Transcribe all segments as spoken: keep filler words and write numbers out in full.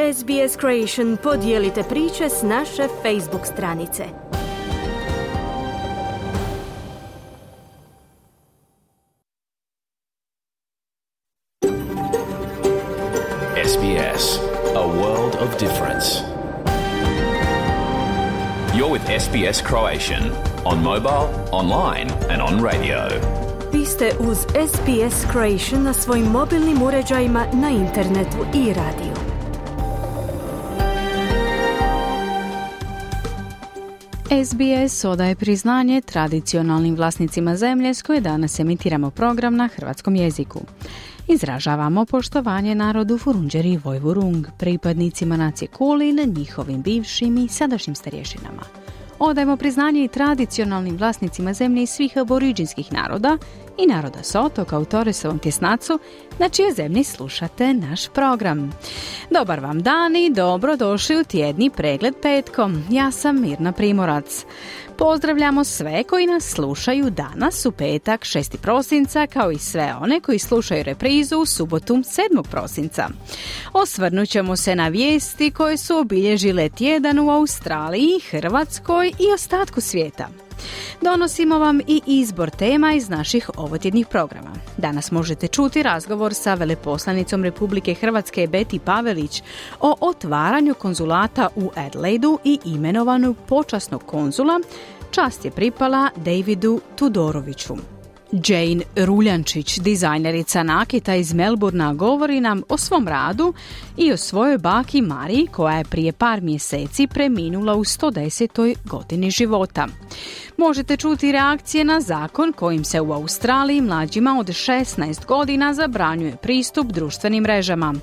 S B S Creation podijelite priče s naše Facebook stranice. S B S, a world of difference. You're with S B S Croatian on mobile, online and on radio. Vi ste uz S B S Croatian na svojim mobilnim uređajima, na internetu i radiju. S B S odaje priznanje tradicionalnim vlasnicima zemlje s koje danas emitiramo program na hrvatskom jeziku. Izražavamo poštovanje narodu Vurundjeri Vojvurung, pripadnicima nacije Kulin, njihovim bivšim i sadašnjim starješinama. Odajemo priznanje i tradicionalnim vlasnicima zemlje i svih aboriđinskih naroda i naroda s otoka u Torresovom tjesnacu, na čije zemlji slušate naš program. Dobar vam dan i dobrodošli u tjedni pregled petkom. Ja sam Mirna Primorac. Pozdravljamo sve koji nas slušaju danas u petak šesti prosinca, kao i sve one koji slušaju reprizu u subotu sedmog prosinca. Osvrnut ćemo se na vijesti koje su obilježile tjedan u Australiji, Hrvatskoj i ostatku svijeta. Donosimo vam i izbor tema iz naših ovotjednih programa. Danas možete čuti razgovor sa veleposlanicom Republike Hrvatske Beti Pavelić o otvaranju konzulata u Adelaidu i imenovanju počasnog konzula. Čast je pripala Davidu Tudoroviću. Jane Ruljančić, dizajnerica nakita iz Melbournea, govori nam o svom radu i o svojoj baki Mariji, koja je prije par mjeseci preminula u sto desetoj godini života. Možete čuti reakcije na zakon kojim se u Australiji mlađima od šesnaest godina zabranjuje pristup društvenim mrežama.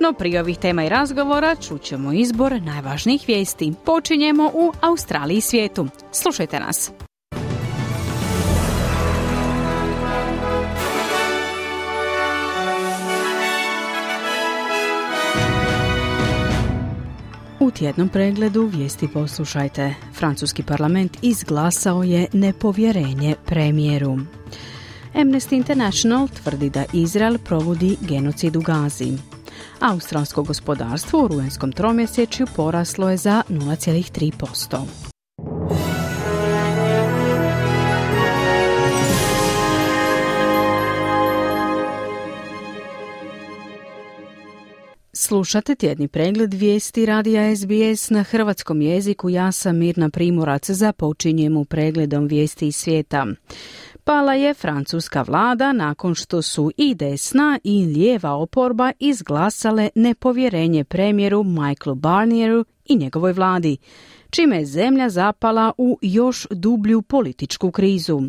No prije ovih tema i razgovora čućemo izbor najvažnijih vijesti. Počinjemo u Australiji i svijetu. Slušajte nas. U tjednom pregledu vijesti poslušajte. Francuski parlament izglasao je nepovjerenje premijeru. Amnesty International tvrdi da Izrael provodi genocid u Gazi. Australsko gospodarstvo u rujenskom tromjesečju poraslo je za nula zarez tri posto. Slušate tjedni pregled vijesti radija S B S na hrvatskom jeziku. Ja sam Mirna Primorac. Započinjemo pregledom vijesti iz svijeta. Pala je francuska vlada nakon što su i desna i lijeva oporba izglasale nepovjerenje premijeru Michaelu Barnieru i njegovoj vladi, čime je zemlja zapala u još dublju političku krizu.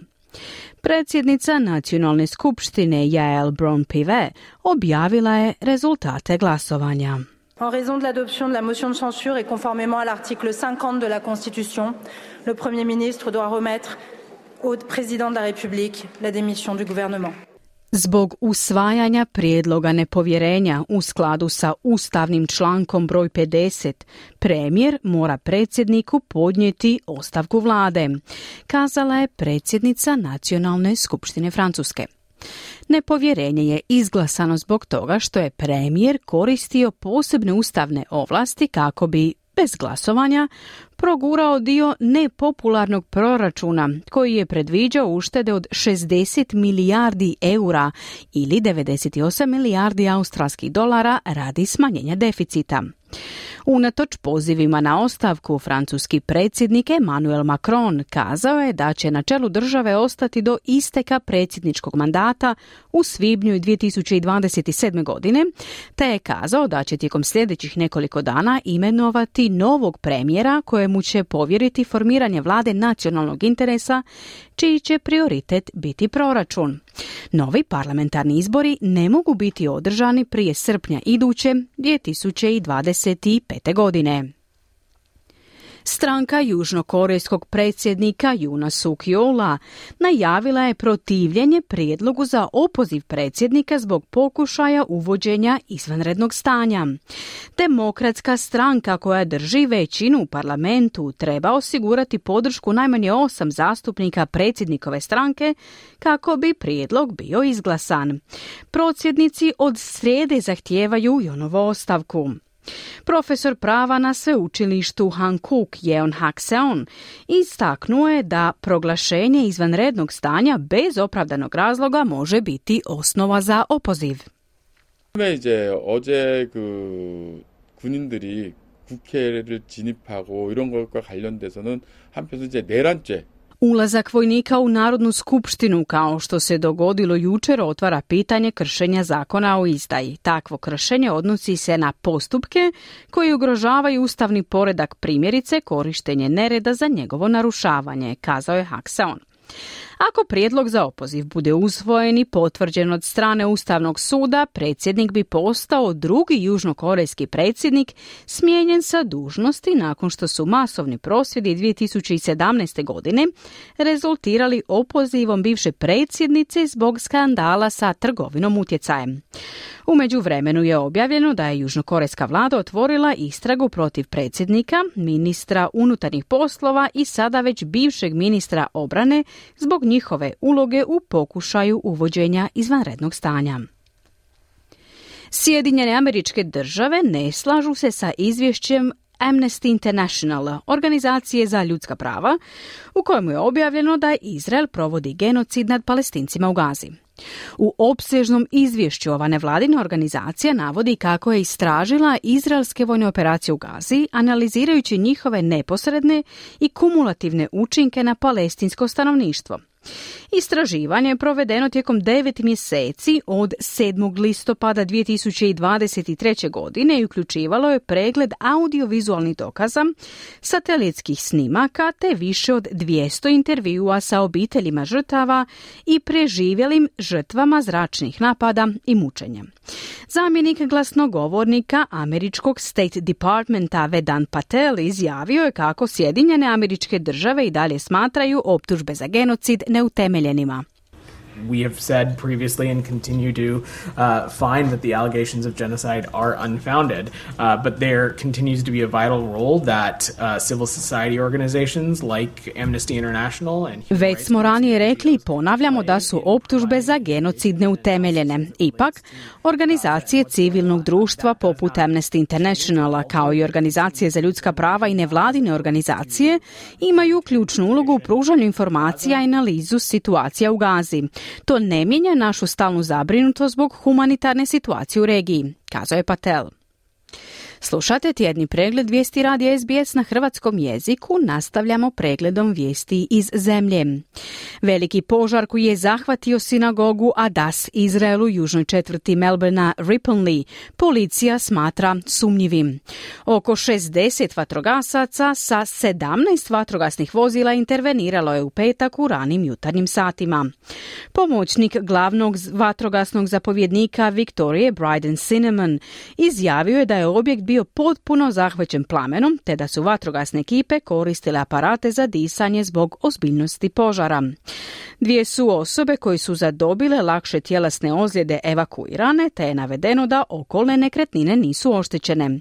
Predsjednica nacionalne skupštine Yael Braun-Pivet objavila je rezultate glasovanja. En raison de l'adoption de la motion de censure et conformément à l'article cinquante de la Constitution, le Premier ministre doit remettre au président de la République la démission du gouvernement. Zbog usvajanja prijedloga nepovjerenja u skladu sa ustavnim člankom broj pedeset, premijer mora predsjedniku podnijeti ostavku vlade, kazala je predsjednica Nacionalne skupštine Francuske. Nepovjerenje je izglasano zbog toga što je premijer koristio posebne ustavne ovlasti kako bi bez glasovanja progurao dio nepopularnog proračuna koji je predviđao uštede od šezdeset milijardi eura ili devedeset osam milijardi australskih dolara radi smanjenja deficita. Unatoč pozivima na ostavku, francuski predsjednik Emmanuel Macron kazao je da će na čelu države ostati do isteka predsjedničkog mandata u svibnju dvije tisuće dvadeset sedme. godine, te je kazao da će tijekom sljedećih nekoliko dana imenovati novog premijera kojemu će povjeriti formiranje vlade nacionalnog interesa, čiji će prioritet biti proračun. Novi parlamentarni izbori ne mogu biti održani prije srpnja iduće dvije tisuće dvadeset pete. godine. Stranka južnokorejskog predsjednika Yoona Suk-yeola najavila je protivljenje prijedlogu za opoziv predsjednika zbog pokušaja uvođenja izvanrednog stanja. Demokratska stranka koja drži većinu u parlamentu treba osigurati podršku najmanje osam zastupnika predsjednikove stranke kako bi prijedlog bio izglasan. Prosvjednici od srijede zahtijevaju Yoonovu ostavku. Profesor prava na sveučilištu Hankook Yeon Hak Seon istaknuo je da proglašenje izvanrednog stanja bez opravdanog razloga može biti osnova za opoziv. 이제 어제 그 군인들이 국회를 진입하고 이런 것과 관련돼서는 한편에서 이제 내란죄 Ulazak vojnika u Narodnu skupštinu, kao što se dogodilo jučer, otvara pitanje kršenja zakona o izdaji. Takvo kršenje odnosi se na postupke koji ugrožavaju ustavni poredak, primjerice korištenje nereda za njegovo narušavanje, kazao je Hak Seon. Ako prijedlog za opoziv bude usvojen i potvrđen od strane Ustavnog suda, predsjednik bi postao drugi južnokorejski predsjednik smijenjen sa dužnosti nakon što su masovni prosvjedi dvije tisuće sedamnaeste. godine rezultirali opozivom bivše predsjednice zbog skandala sa trgovinom utjecajem. U međuvremenu je objavljeno da je južnokorejska vlada otvorila istragu protiv predsjednika, ministra unutarnjih poslova i sada već bivšeg ministra obrane zbog njihove uloge u pokušaju uvođenja izvanrednog stanja. Sjedinjene Američke Države ne slažu se sa izvješćem Amnesty International, organizacije za ljudska prava, u kojemu je objavljeno da Izrael provodi genocid nad Palestincima u Gazi. U opsežnom izvješću ova nevladina organizacija navodi kako je istražila izraelske vojne operacije u Gazi, analizirajući njihove neposredne i kumulativne učinke na palestinsko stanovništvo. Istraživanje je provedeno tijekom devet mjeseci od sedmog listopada dvije tisuće dvadeset treće. godine i uključivalo je pregled audiovizualnih dokaza, satelitskih snimaka te više od dvjesto intervjua sa obiteljima žrtava i preživjelim žrtvama zračnih napada i mučenja. Zamjenik glasnogovornika američkog State Departmenta Vedant Patel izjavio je kako Sjedinjene Američke Države i dalje smatraju optužbe za genocid neutemeljenima. We have said previously and continue to uh, find that the allegations of genocide are unfounded, uh, but there continues to be a vital role that uh, civil society organizations like Amnesty International and Već smo ranije rekli i ponavljamo da su optužbe za genocid neutemeljene. Ipak, organizacije civilnog društva poput Amnesty Internationala kao i organizacije za ljudska prava i nevladine organizacije imaju ključnu ulogu u pružanju informacija i analizu situacija u Gazi. To ne mijenja našu stalnu zabrinutost zbog humanitarne situacije u regiji, kazao je Patel. Slušate tjedni pregled vijesti radija S B S na hrvatskom jeziku, nastavljamo pregledom vijesti iz zemlje. Veliki požar koji je zahvatio sinagogu Adas Izraelu u južnoj četvrti Melbournea Ripponlea policija smatra sumnjivim. Oko šezdeset vatrogasaca sa sedamnaest vatrogasnih vozila interveniralo je u petak u ranim jutarnjim satima. Pomoćnik glavnog vatrogasnog zapovjednika Viktorije Bryden Cinnamon izjavio je da je objekt bio potpuno zahvaćen plamenom, te da su vatrogasne ekipe koristile aparate za disanje zbog ozbiljnosti požara. Dvije su osobe koje su zadobile lakše tjelesne ozljede evakuirane, te je navedeno da okolne nekretnine nisu oštećene.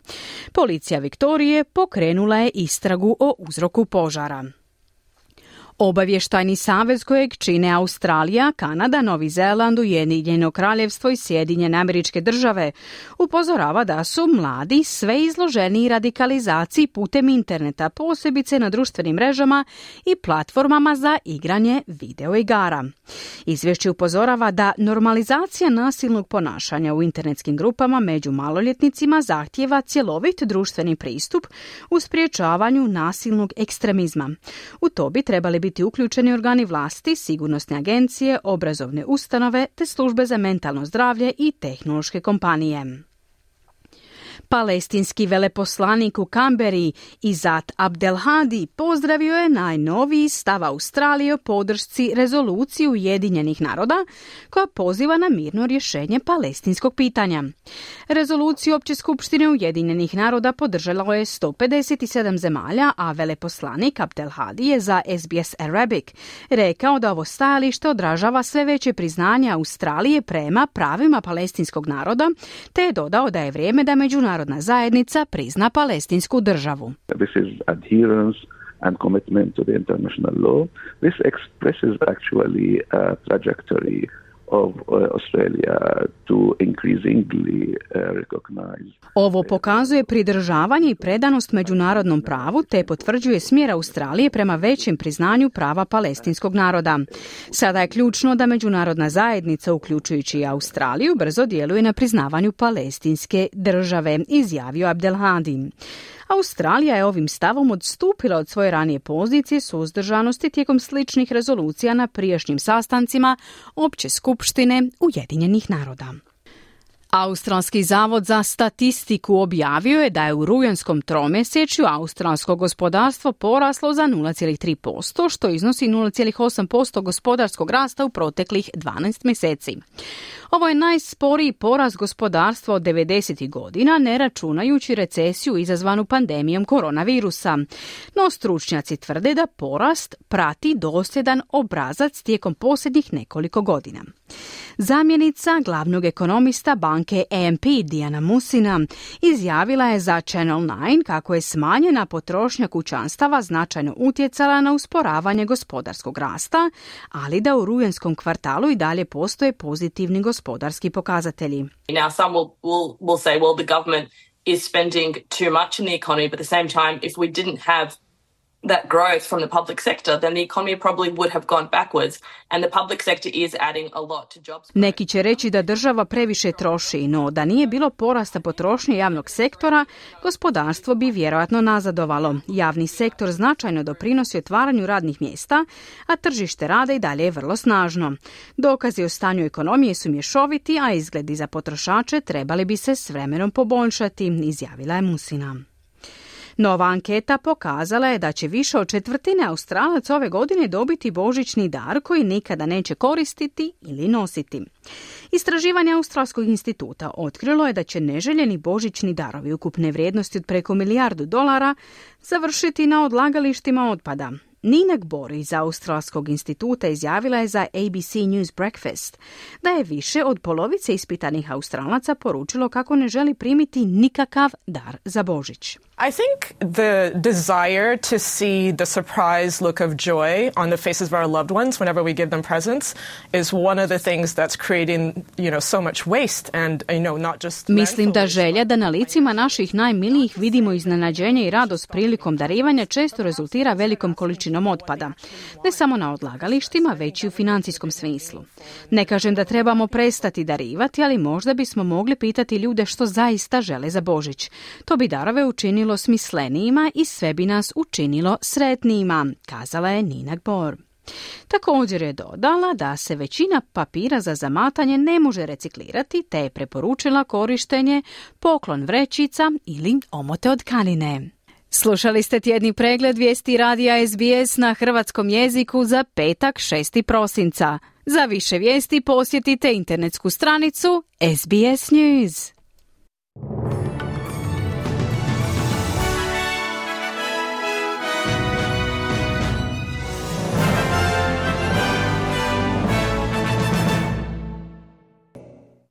Policija Viktorije pokrenula je istragu o uzroku požara. Obavještajni savez kojeg čine Australija, Kanada, Novi Zeland, Ujedinjeno Kraljevstvo i Sjedinjene Američke Države upozorava da su mladi sve izloženiji radikalizaciji putem interneta, posebice na društvenim mrežama i platformama za igranje videoigara. Izvješće upozorava da normalizacija nasilnog ponašanja u internetskim grupama među maloljetnicima zahtijeva cjelovit društveni pristup u sprječavanju nasilnog ekstremizma. U to bi trebali biti biti uključeni organi vlasti, sigurnosne agencije, obrazovne ustanove te službe za mentalno zdravlje i tehnološke kompanije. Palestinski veleposlanik u Kamberi Izat Abdelhadi pozdravio je najnoviji stav Australije o podršci rezoluciji Ujedinjenih naroda koja poziva na mirno rješenje palestinskog pitanja. Rezoluciju Opće skupštine Ujedinjenih naroda podržalo je sto pedeset sedam zemalja, a veleposlanik Abdelhadi je za S B S Arabic rekao da ovo stajalište odražava sve veće priznanje Australije prema pravima palestinskog naroda, te je dodao da je vrijeme da međunarodna zajednica prizna palestinsku državu. This is adherence and commitment to the international law. This expresses actually a trajectory of uh, Australia to increasingly uh, recognize. Ovo pokazuje pridržavanje i predanost međunarodnom pravu te potvrđuje smjer Australije prema većem priznanju prava palestinskog naroda. Sada je ključno da međunarodna zajednica, uključujući i Australiju, brzo djeluje na priznavanju palestinske države, izjavio Abdelhadi. Australija je ovim stavom odstupila od svoje ranije pozicije suzdržanosti tijekom sličnih rezolucija na prijašnjim sastancima Opće skupštine Ujedinjenih naroda. Australski zavod za statistiku objavio je da je u rujanskom tromjesečju australsko gospodarstvo poraslo za nula zarez tri posto, što iznosi nula zarez osam posto gospodarskog rasta u proteklih dvanaest mjeseci. Ovo je najsporiji porast gospodarstva od devedesetih godina, ne računajući recesiju izazvanu pandemijom koronavirusa. No stručnjaci tvrde da porast prati dosljedan obrazac tijekom posljednjih nekoliko godina. Zamjenica glavnog ekonomista banke A M P Diana Musina izjavila je za Channel nine kako je smanjena potrošnja kućanstava značajno utjecala na usporavanje gospodarskog rasta, ali da u rujanskom kvartalu i dalje postoje pozitivni gospodarski pokazatelji. Now some will, will, will say, well, the government is spending too much in the economy, but at the same time, if we didn't have that growth from the public sector, then the economy probably would have gone backwards, and the public sector is adding a lot to jobs. Neki će reći da država previše troši, no da nije bilo porasta potrošnje javnog sektora, gospodarstvo bi vjerojatno nazadovalo. Javni sektor značajno doprinosi otvaranju radnih mjesta, a tržište rada i dalje je vrlo snažno. Dokazi o stanju ekonomije su mješoviti, a izgledi za potrošače trebali bi se s vremenom poboljšati, izjavila je Musina. Nova anketa pokazala je da će više od četvrtine Australaca ove godine dobiti božićni dar koji nikada neće koristiti ili nositi. Istraživanje Australskog instituta otkrilo je da će neželjeni božićni darovi ukupne vrijednosti od preko milijardu dolara završiti na odlagalištima otpada. Nina Gbor iz Australskog instituta izjavila je za A B C News Breakfast da je više od polovice ispitanih Australaca poručilo kako ne želi primiti nikakav dar za Božić. I think the desire to see the surprise look of joy on the faces of our loved ones whenever we give them presents is one of the things that's creating, you know, so much waste and, you know, not just... Mislim da želja da na licima naših najmilijih vidimo iznenađenje i radost prilikom darivanja često rezultira velikom količinom otpada. Ne samo na odlagalištima, već i u financijskom smislu. Ne kažem da trebamo prestati darivati, ali možda bismo mogli pitati ljude što zaista žele za Božić. To bi darove učinilo smislenijima i sve bi nas učinilo sretnijima, kazala je Nina Gbor. Također je dodala da se većina papira za zamatanje ne može reciklirati, te je preporučila korištenje poklon vrećica ili omote od tkanine. Slušali ste tjedni pregled vijesti radija S B S na hrvatskom jeziku za petak šestog prosinca. Za više vijesti posjetite internetsku stranicu S B S News.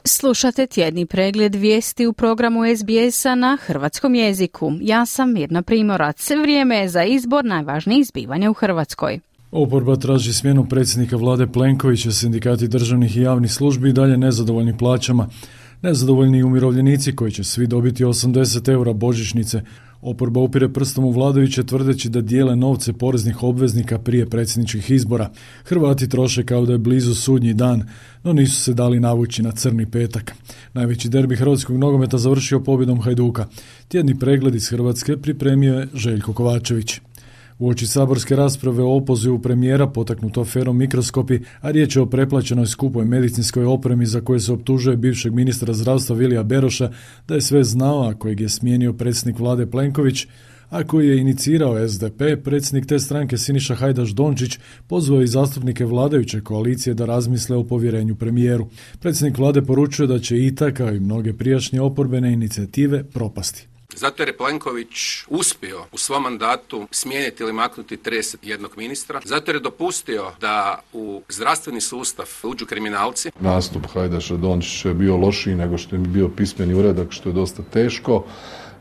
Slušate tjedni pregled vijesti u programu S B S-a na hrvatskom jeziku. Ja sam Mirna Primorac. Vrijeme je za izbor najvažnijih zbivanja u Hrvatskoj. Oporba traži smjenu predsjednika vlade Plenkovića, sindikati državnih i javnih službi i dalje nezadovoljni plaćama. Nezadovoljni umirovljenici koji će svi dobiti osamdeset eura božićnice. Oporba upire prstom u vladajuće tvrdeći da dijele novce poreznih obveznika prije predsjedničkih izbora. Hrvati troše kao da je blizu sudnji dan, no nisu se dali navući na crni petak. Najveći derbi hrvatskog nogometa završio pobjedom Hajduka. Tjedni pregled iz Hrvatske pripremio je Željko Kovačević. Uoči saborske rasprave o opozivu premijera potaknuto aferom Mikroskopi, a riječ je o preplaćenoj skupoj medicinskoj opremi za koje se optužuje bivšeg ministra zdravstva Vilija Beroša da je sve znao, a kojeg je smijenio predsjednik vlade Plenković, a koji je inicirao S D P, predsjednik te stranke Siniša Hajdaš Dončić pozvao i zastupnike vladajuće koalicije da razmisle o povjerenju premijeru. Predsjednik vlade poručuje da će I T A, kao i mnoge prijašnje oporbene inicijative, propasti. Zato jer je Plenković uspio u svom mandatu smijeniti ili maknuti trideset jednog ministra, zato jer je dopustio da u zdravstveni sustav uđu kriminalci. Nastup Hajdaša Dončića je bio lošiji nego što je bio pismeni uradak, što je dosta teško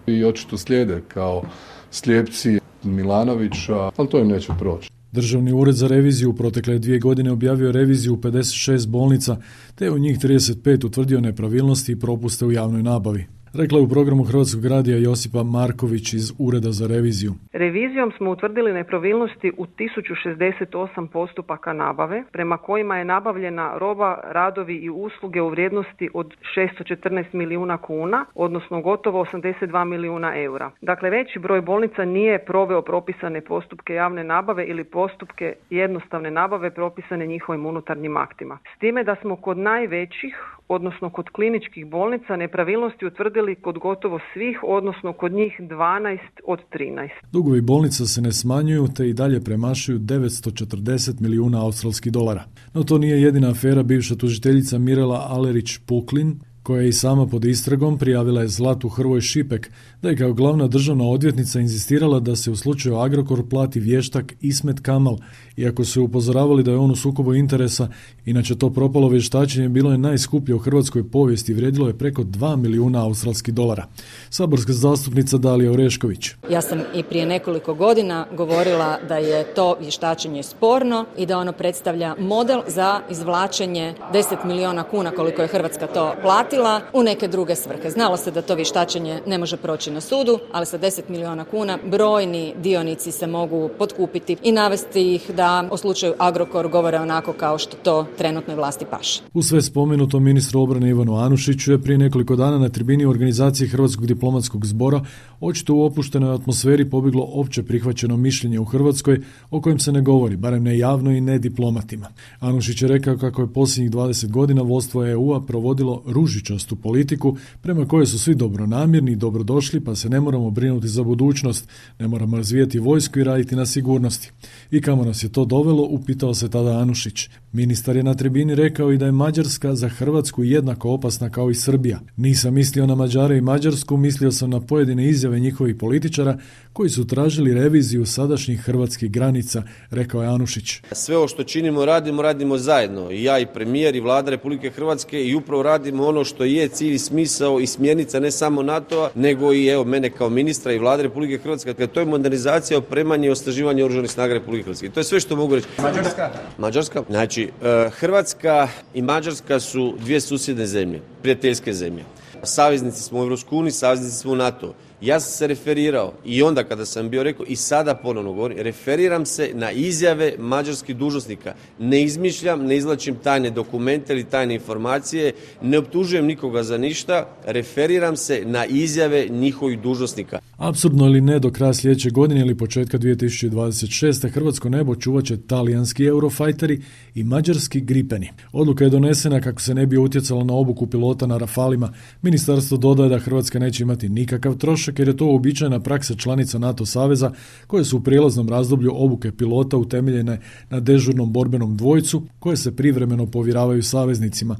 i očito slijede kao slijepci Milanovića, ali to im neće proći. Državni ured za reviziju u protekle dvije godine objavio reviziju u pedeset šest bolnica, te u njih trideset pet utvrdio nepravilnosti i propuste u javnoj nabavi. Rekla je u programu Hrvatskog radija Josipa Marković iz Ureda za reviziju. Revizijom smo utvrdili nepravilnosti u tisuću šezdeset osam postupaka nabave, prema kojima je nabavljena roba, radovi i usluge u vrijednosti od šesto četrnaest milijuna kuna, odnosno gotovo osamdeset dva milijuna eura. Dakle, veći broj bolnica nije proveo propisane postupke javne nabave ili postupke jednostavne nabave propisane njihovim unutarnjim aktima. S time da smo kod najvećih, odnosno kod kliničkih bolnica, nepravilnosti utvrdili kod gotovo svih, odnosno kod njih dvanaest od trinaest. Dugovi bolnica se ne smanjuju te i dalje premašuju devetsto četrdeset milijuna australskih dolara. No to nije jedina afera. Bivša tužiteljica Mirela Alerić-Puklin, koja je i sama pod istragom, prijavila je Zlatu Hrvoj Šipek da je kao glavna državna odvjetnica inzistirala da se u slučaju Agrokor plati vještak Ismet Kamal, iako su upozoravali da je on u sukobu interesa. Inače, to propalo vještačenje bilo je najskuplje u hrvatskoj povijesti i vrijedilo je preko dva milijuna australskih dolara. Saborska zastupnica Dalija Orešković. Ja sam i prije nekoliko godina govorila da je to vještačenje sporno i da ono predstavlja model za izvlačenje deset milijuna kuna koliko je Hrvatska to platila u neke druge svrhe. Znalo se da to vještačenje ne može proći na sudu, ali sa deset milijuna kuna brojni dionici se mogu potkupiti i navesti ih da o slučaju Agrokor govore onako kao što to trenutnoj vlasti paše. U sve spomenuto, ministru obrane Ivanu Anušiću je prije nekoliko dana na tribini u organizaciji Hrvatskog diplomatskog zbora očito u opuštenoj atmosferi pobjeglo opće prihvaćeno mišljenje u Hrvatskoj o kojem se ne govori, barem ne javno i ne diplomatima. Anušić je rekao kako je posljednjih dvadeset godina vodstvo E U-a provodilo ružičastu politiku prema kojoj su svi dobronamjerni i dobrodošli, pa se ne moramo brinuti za budućnost, ne moramo razvijati vojsku i raditi na sigurnosti. I kamo nas je to dovelo, upitao se tada Anušić. Ministar je na tribini rekao i da je Mađarska za Hrvatsku jednako opasna kao i Srbija. Nisam mislio na Mađare i Mađarsku, mislio sam na pojedine izjave njihovih političara koji su tražili reviziju sadašnjih hrvatskih granica, rekao je Anušić. Sve ovo što činimo, radimo, radimo zajedno. I ja i premijer i vlada Republike Hrvatske i upravo radimo ono što je cilj i smisao i smjernica ne samo NATO-a, nego i evo mene kao ministra i vlade Republike Hrvatske. To je modernizacija, opremanje i osnaživanje oružanih snaga Republike Hrvatske. I to je sve što mogu reći. Mađarska? Mađarska. Znači, Hrvatska i Mađarska su dvije susjedne zemlje, prijateljske zemlje. Saveznici smo u Europskoj uniji, saveznici smo u NATO. Ja sam se referirao i onda kada sam bio rekao i sada ponovno govorim, referiram se na izjave mađarskih dužnosnika. Ne izmišljam, ne izvlačim tajne dokumente ili tajne informacije, ne optužujem nikoga za ništa, referiram se na izjave njihovih dužnosnika. Apsurdno ili ne, do kraja sljedeće godine ili početka dvije tisuće dvadeset šeste. hrvatsko nebo čuvat će talijanski Eurofighteri i mađarski Gripeni. Odluka je donesena kako se ne bi utjecalo na obuku pilota na Rafalima. Ministarstvo dodaje da Hrvatska neće imati nikakav trošak jer je to uobičajena praksa članica NATO saveza koje su u prijelaznom razdoblju obuke pilota utemeljene na dežurnom borbenom dvojcu koje se privremeno povjeravaju saveznicima.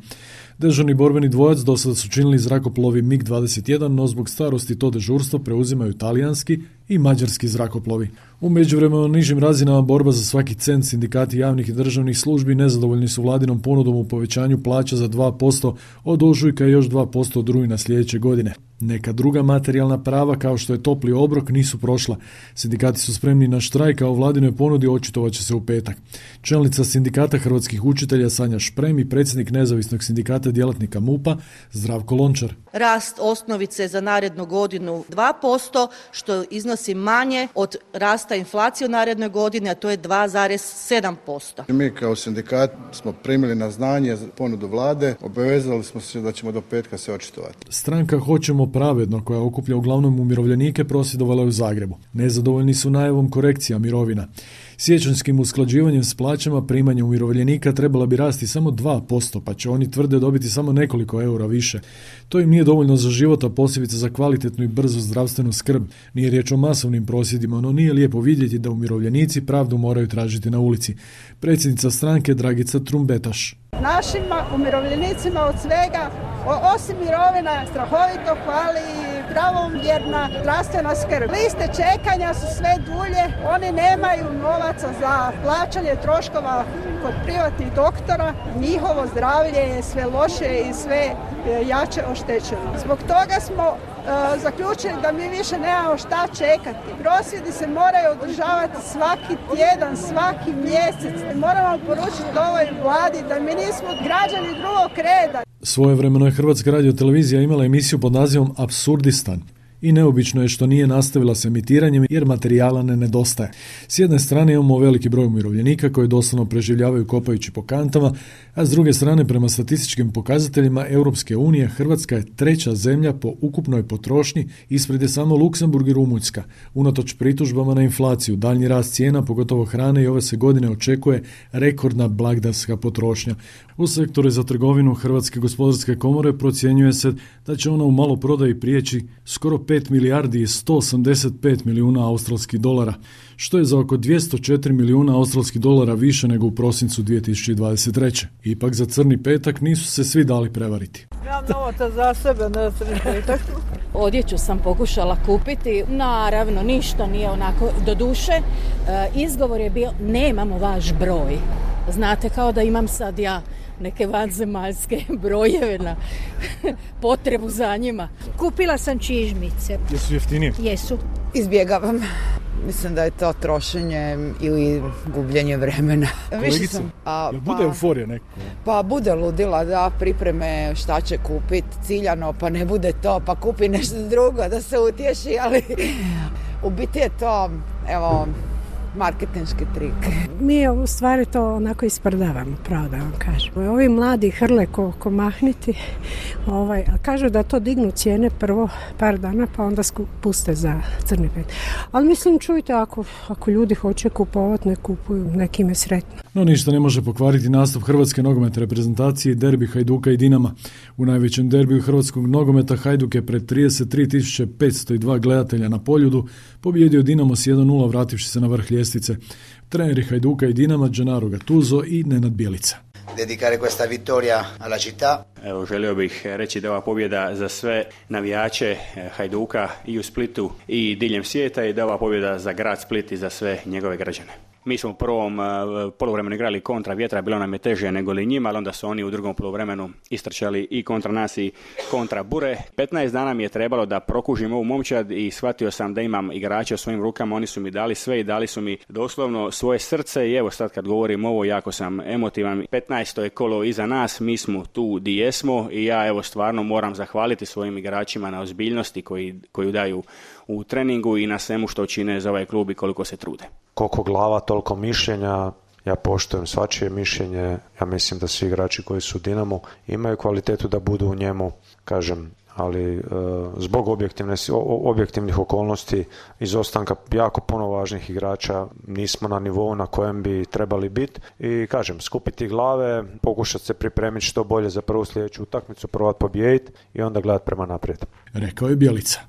Dežurni borbeni dvojac do sada su činili zrakoplovi mig dvadeset jedan, no zbog starosti to dežurstvo preuzimaju talijanski i mađarski zrakoplovi. U međuvremenu na nižim razinama borba za svaki cent sindikati javnih i državnih službi nezadovoljni su vladinom ponudom u povećanju plaća za dva posto od ožujka i još dva posto od rujna sljedeće godine. Neka druga materijalna prava kao što je topli obrok nisu prošla. Sindikati su spremni na štrajk, a o vladinoj ponudi očitovat će se u petak. Čelnica sindikata hrvatskih učitelja Sanja Šprem i predsjednik nezavisnog sindikata djelatnika MUP-a Zdravko Lončar. Rast osnovice za narednu godinu dva posto, što iznosi manje od rasta inflacije u narednoj godini, a to je dva zarez sedam posto. Mi kao sindikat smo primili na znanje ponudu vlade, obavezali smo se da ćemo do petka se očitovati. Stranka Hoćemo pravedno, koja okuplja uglavnom umirovljenike, prosvjedovala je u Zagrebu. Nezadovoljni su najavom korekcija mirovina. Siječanjskim usklađivanjem s plaćama primanja umirovljenika trebala bi rasti samo dva posto, pa će oni tvrde dobiti samo nekoliko eura više. To im nije dovoljno za život, a posebice za kvalitetnu i brzu zdravstvenu skrb. Nije riječ o masovnim prosvjedima, no nije lijepo vidjeti da umirovljenici pravdu moraju tražiti na ulici. Predsjednica stranke Dragica Trumbetaš. Našim umirovljenicima od svega, osim mirovina, strahovito hvali pravomjerna zdravstvena skrb. Liste čekanja su sve dulje, oni nemaju novaca za plaćanje troškova kod privatnih doktora, njihovo zdravlje je sve loše i sve jače oštećeni. Zbog toga smo uh, zaključili da mi više nemamo šta čekati. Prosvjedi se moraju održavati svaki tjedan, svaki mjesec. Moramo poručiti ovoj vladi da mi nismo građani drugog reda. Svojevremeno je Hrvatska radiotelevizija imala emisiju pod nazivom Apsurdistan. I neobično je što nije nastavila s emitiranjem jer materijala ne nedostaje. S jedne strane imamo veliki broj umirovljenika koji doslovno preživljavaju kopajući po kantama, a s druge strane prema statističkim pokazateljima Europske unije Hrvatska je treća zemlja po ukupnoj potrošnji, ispred je samo Luksemburg i Rumunjska. Unatoč pritužbama na inflaciju, daljnji rast cijena, pogotovo hrane, i ove se godine očekuje rekordna blagdanska potrošnja. U sektoru za trgovinu Hrvatske gospodarske komore procjenjuje se da će ona u maloprodaji prijeći skoro pet milijardi i sto osamdeset pet milijuna australskih dolara, što je za oko dvjesto četiri milijuna australskih dolara više nego u prosincu dvije tisuće dvadeset treće. Ipak za crni petak nisu se svi dali prevariti. Ja novaca za sebe na crni petak. Odjeću sam pokušala kupiti, naravno ništa nije onako do duše. E, izgovor je bio nemamo vaš broj. Znate, kao da imam sad ja neke vanzemaljske brojeve na potrebu za njima. Kupila sam čižmice. Jesu jeftinije? Jesu. Izbjegavam. Mislim da je to trošenje ili gubljenje vremena. Kolegice, a, jel bude pa, euforija neko? Pa bude ludila, da, pripreme šta će kupiti ciljano, pa ne bude to, pa kupi nešto drugo da se utješi, ali u biti je to, evo, marketinški trik. Mi u stvari to onako isprdavamo, pravo da vam kažem. Ovi mladi hrle ko, ko mahniti, ovaj, a kažu da to dignu cijene prvo par dana, pa onda puste za crni pet. Ali mislim, čujte, ako, ako ljudi hoće kupovati, ne kupuju, nekime sretno. No ništa ne može pokvariti nastup hrvatske nogometne reprezentacije i derbi Hajduka i Dinama. U najvećem derbiju hrvatskog nogometa Hajduk je pred trideset tri tisuće petsto dva gledatelja na Poljudu pobijedio Dinamo s jedan nula vrativši se na vrh ljestvice. Treneri Hajduka i Dinama Gennaro Gattuso i Nenad Bjelica. Dedicare questa vittoria alla città. Evo, želio bih reći da je ova pobjeda za sve navijače Hajduka i u Splitu i diljem svijeta i da je ova pobjeda za grad Split i za sve njegove građane. Mi smo u prvom uh, poluvremenu igrali kontra vjetra, bilo nam je teže nego li njima, ali onda su oni u drugom poluvremenu istrčali i kontra nas i kontra bure. petnaest dana mi je trebalo da prokužim ovu momčad i shvatio sam da imam igrače u svojim rukama, oni su mi dali sve i dali su mi doslovno svoje srce i evo sad kad govorim ovo jako sam emotivan. petnaesto je kolo iza nas, mi smo tu di jesmo i ja evo stvarno moram zahvaliti svojim igračima na ozbiljnosti koji, koju daju u treningu i na svemu što čine za ovaj klub i koliko se trude. Koliko glava, toliko mišljenja. Ja poštujem svačije mišljenje. Ja mislim da svi igrači koji su u Dinamu imaju kvalitetu da budu u njemu, kažem, ali e, zbog objektivne, objektivnih okolnosti, izostanka jako puno važnih igrača, nismo na nivou na kojem bi trebali biti i kažem, skupiti glave, pokušati se pripremiti što bolje za prvu sljedeću utakmicu, probati pobijediti i onda gledati prema naprijed. Rekao je Bjelica.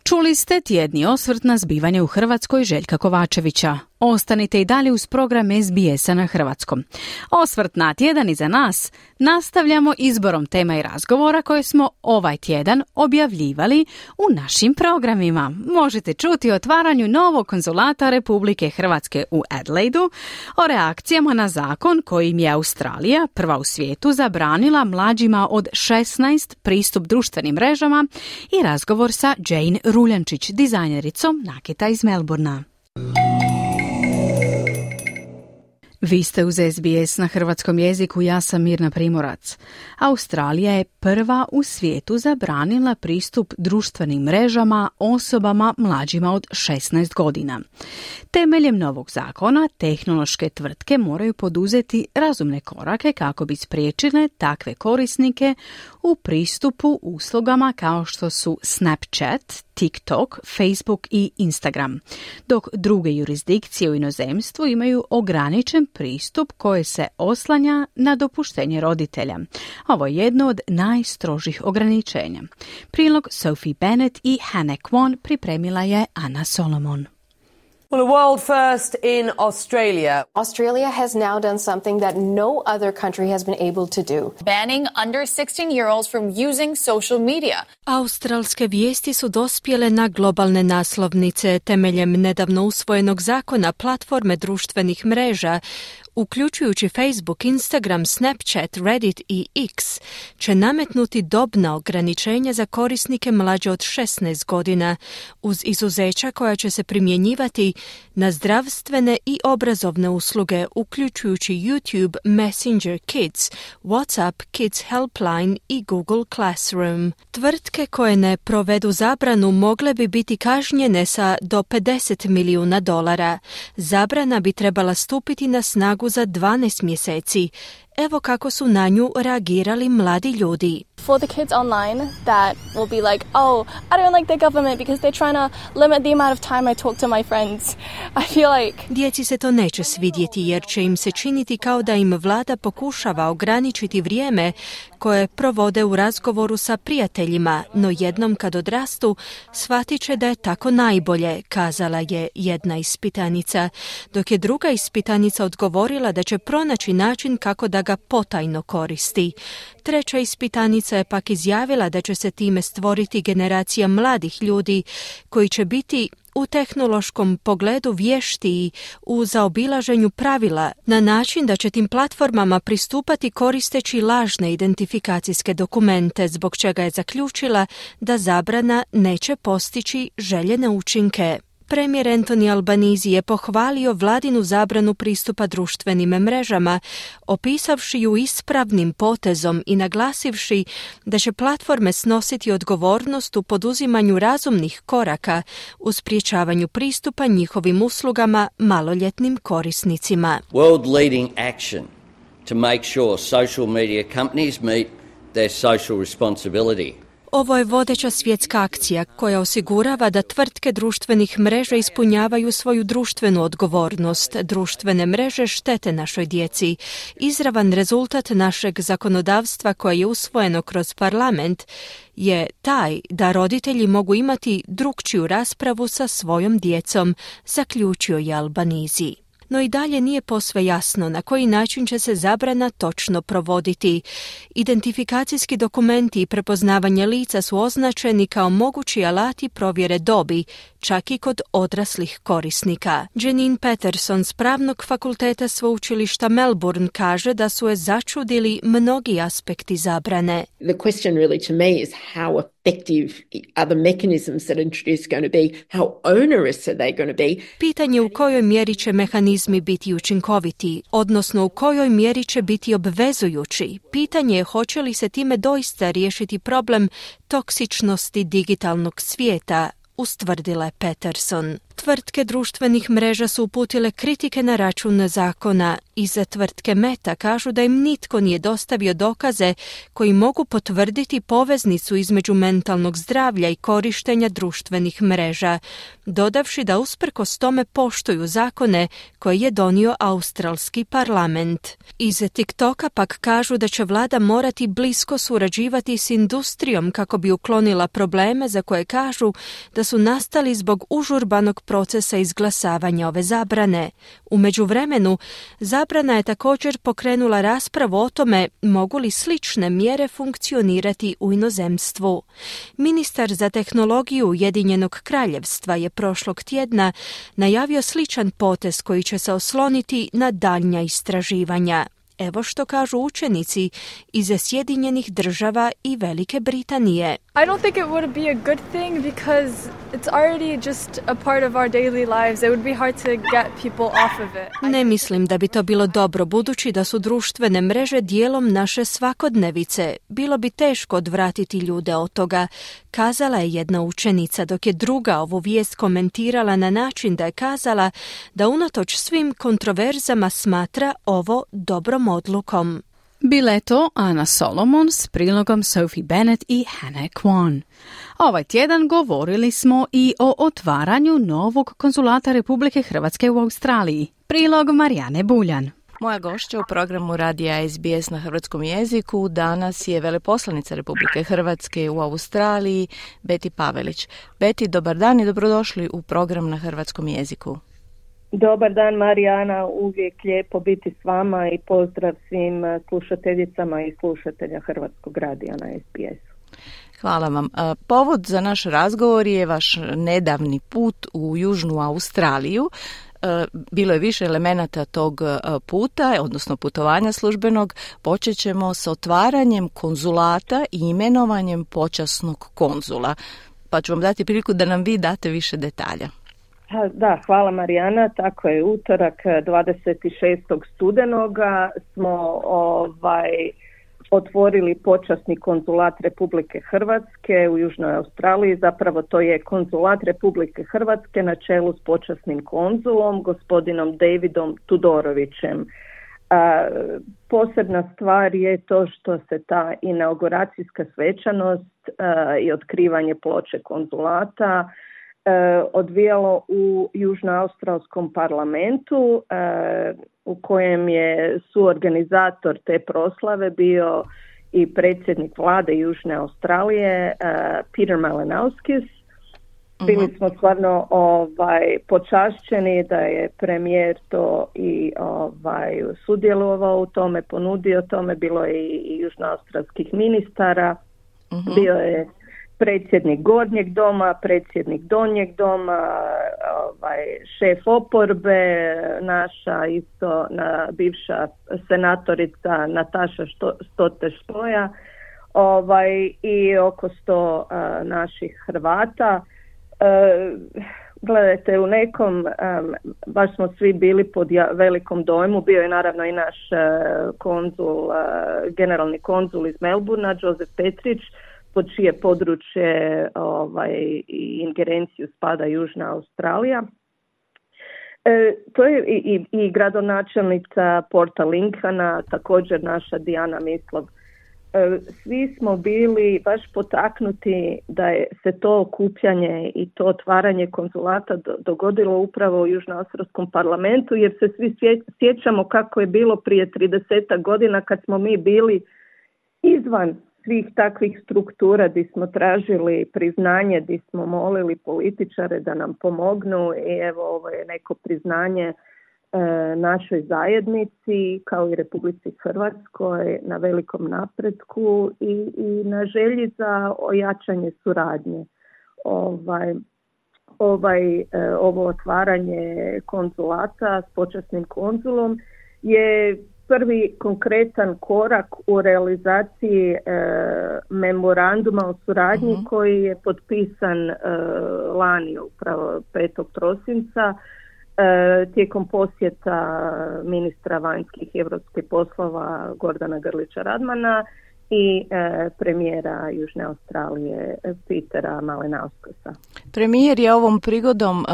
Čuli ste tjedni osvrt na zbivanje u Hrvatskoj Željka Kovačevića. Ostanite i dalje uz program S B S-a na hrvatskom. Osvrt na tjedan iza nas nastavljamo izborom tema i razgovora koje smo ovaj tjedan objavljivali u našim programima. Možete čuti o otvaranju novog konzulata Republike Hrvatske u Adelaidu, o reakcijama na zakon kojim je Australija, prva u svijetu, zabranila mlađima od šesnaest pristup društvenim mrežama i razgovor sa Jane Ruljančić, dizajnericom nakita iz Melbournea. Vi ste uz S B S na hrvatskom jeziku, ja sam Mirna Primorac. Australija je prva u svijetu zabranila pristup društvenim mrežama osobama mlađima od šesnaest godina. Temeljem novog zakona, tehnološke tvrtke moraju poduzeti razumne korake kako bi spriječile takve korisnike u pristupu uslugama kao što su Snapchat, TikTok, Facebook i Instagram, dok druge jurisdikcije u inozemstvu imaju ograničen pristup koji se oslanja na dopuštenje roditelja. Ovo je jedno od najstrožih ograničenja. Prilog Sophie Bennett i Hannah Kwon pripremila je Ana Solomon. Well, a world first in Australia. Australia has now done something that no other country has been able to do. Banning under sixteen-year-olds from using social media. Australske vijesti su dospjele na globalne naslovnice temeljem nedavno usvojenog zakona platforme društvenih mreža uključujući Facebook, Instagram, Snapchat, Reddit i X, će nametnuti dobna ograničenja za korisnike mlađe od šesnaest godina, uz izuzeća koja će se primjenjivati na zdravstvene i obrazovne usluge, uključujući YouTube, Messenger Kids, WhatsApp Kids Helpline i Google Classroom. Tvrtke koje ne provedu zabranu mogle bi biti kažnjene sa do pedeset milijuna dolara. Zabrana bi trebala stupiti na snagu za dvanaest mjeseci. Evo kako su na nju reagirali mladi ljudi. For the kids online that will be like, oh, I don't like the government because they're trying to limit the amount of time I talk to my friends. I feel like... Djeci se to neće svidjeti jer će im se činiti kao da im vlada pokušava ograničiti vrijeme koje provode u razgovoru sa prijateljima, no jednom kad odrastu shvatit će da je tako najbolje, kazala je jedna ispitanica, dok je druga ispitanica odgovorila da će pronaći način kako da ga potajno koristi. Treća ispitanica je pak izjavila da će se time stvoriti generacija mladih ljudi koji će biti u tehnološkom pogledu vještiji u zaobilaženju pravila na način da će tim platformama pristupati koristeći lažne identifikacijske dokumente, zbog čega je zaključila da zabrana neće postići željene učinke. Premijer Anthony Albanese je pohvalio vladinu zabranu pristupa društvenim mrežama, opisavši ju ispravnim potezom i naglasivši da će platforme snositi odgovornost u poduzimanju razumnih koraka u sprječavanju pristupa njihovim uslugama maloljetnim korisnicima. World leading action to make sure social media companies meet their social responsibility. Ovo je vodeća svjetska akcija koja osigurava da tvrtke društvenih mreža ispunjavaju svoju društvenu odgovornost. Društvene mreže štete našoj djeci. Izravan rezultat našeg zakonodavstva koje je usvojeno kroz parlament je taj da roditelji mogu imati drukčiju raspravu sa svojom djecom, zaključio je Albanese. No i dalje nije posve jasno na koji način će se zabrana točno provoditi. Identifikacijski dokumenti i prepoznavanje lica su označeni kao mogući alati provjere dobi, čak i kod odraslih korisnika. Janine Patterson s Pravnog fakulteta sveučilišta Melbourne kaže da su je začudili mnogi aspekti zabrane. The question really to me is how effective are the mechanisms that are introduced going to be, how onerous are they going to be? Pitanje u kojoj mjeri će mehanizmi biti učinkoviti, odnosno u kojoj mjeri će biti obvezujući. Pitanje je hoće li se time doista riješiti problem toksičnosti digitalnog svijeta, ustvrdila je Patterson. Tvrtke društvenih mreža su uputile kritike na račun zakona. Iza tvrtke Meta kažu da im nitko nije dostavio dokaze koji mogu potvrditi poveznicu između mentalnog zdravlja i korištenja društvenih mreža, dodavši da usprkos tome poštuju zakone koje je donio australski parlament. Iz TikToka pak kažu da će vlada morati blisko surađivati s industrijom kako bi uklonila probleme za koje kažu da su nastali zbog užurbanog procesa izglasavanja ove zabrane. U međuvremenu, zabrana je također pokrenula raspravu o tome mogu li slične mjere funkcionirati u inozemstvu. Ministar za tehnologiju Ujedinjenog kraljevstva je prošlog tjedna najavio sličan potez koji će se osloniti na daljnja istraživanja. Evo što kažu učenici iz Sjedinjenih država i Velike Britanije. I don't think it would be a good thing because it's already just a part of our daily lives. It would be hard to get people off of it. Ne mislim da bi to bilo dobro budući da su društvene mreže dijelom naše svakodnevice. Bilo bi teško odvratiti ljude od toga, kazala je jedna učenica, dok je druga ovu vijest komentirala na način da je kazala da unatoč svim kontroverzama smatra ovo dobrom odlukom. Bila je to Ana Solomon s prilogom Sophie Bennett i Hannah Kwan. Ovaj tjedan govorili smo i o otvaranju novog konzulata Republike Hrvatske u Australiji. Prilog Marijane Buljan. Moja gošća u programu radija S B S na hrvatskom jeziku danas je veleposlanica Republike Hrvatske u Australiji, Beti Pavelić. Beti, dobar dan i dobrodošli u program na hrvatskom jeziku. Dobar dan Marijana, uvijek lijepo biti s vama i pozdrav svim slušateljicama i slušatelja Hrvatskog radija na S B S-u. Hvala vam. Povod za naš razgovor je vaš nedavni put u Južnu Australiju. bilo je više elemenata tog puta, odnosno putovanja službenog. Počet ćemo s otvaranjem konzulata i imenovanjem počasnog konzula. Pa ću vam dati priliku da nam vi date više detalja. Da, hvala Marijana. Tako je, utorak dvadeset šestog studenoga smo ovaj, otvorili počasni konzulat Republike Hrvatske u Južnoj Australiji. Zapravo to je konzulat Republike Hrvatske na čelu s počasnim konzulom, gospodinom Davidom Tudorovićem. A, posebna stvar je to što se ta inauguracijska svečanost a, i otkrivanje ploče konzulata a, odvijalo u Južnoaustralskom parlamentu, a, u kojem je suorganizator te proslave bio i predsjednik vlade Južne Australije a, Peter Malinauskis. Bili smo stvarno ovaj, počašćeni da je premijer to i ovaj, sudjelovao u tome, ponudio tome, bilo je i, i južnoaustralskih ministara, uh-huh. bio je predsjednik Gornjeg doma, predsjednik Donjeg doma, ovaj, šef oporbe, naša isto na, bivša senatorica Nataša Stote-Štoja, ovaj, i oko sto uh, naših Hrvata. Uh, gledajte, u nekom, um, baš smo svi bili pod ja, velikom dojmu, bio je naravno i naš uh, konzul, uh, generalni konzul iz Melburna, Joseph Petrić, pod čije područje ovaj, i ingerenciju spada Južna Australija. E, to je i, i, i gradonačelnica Porta Lincolna, također naša Dijana Mislov. Svi smo bili baš potaknuti da je se to okupljanje i to otvaranje konzulata dogodilo upravo u Južnoaustralskom parlamentu, jer se svi sjećamo kako je bilo prije trideset godina kad smo mi bili izvan svih takvih struktura, gdje smo tražili priznanje, gdje smo molili političare da nam pomognu i evo ovo je neko priznanje našoj zajednici kao i Republici Hrvatskoj na velikom napretku i, i na želji za ojačanje suradnje. Ovaj, ovaj, ovo otvaranje konzulata s počasnim konzulom je prvi konkretan korak u realizaciji e, memoranduma o suradnji uh-huh. koji je potpisan e, lani, upravo petog prosinca, tijekom posjeta ministra vanjskih i europskih poslova Gordana Grlića Radmana i e, premijera Južne Australije Petera Malinauskisa. Premijer je ovom prigodom uh,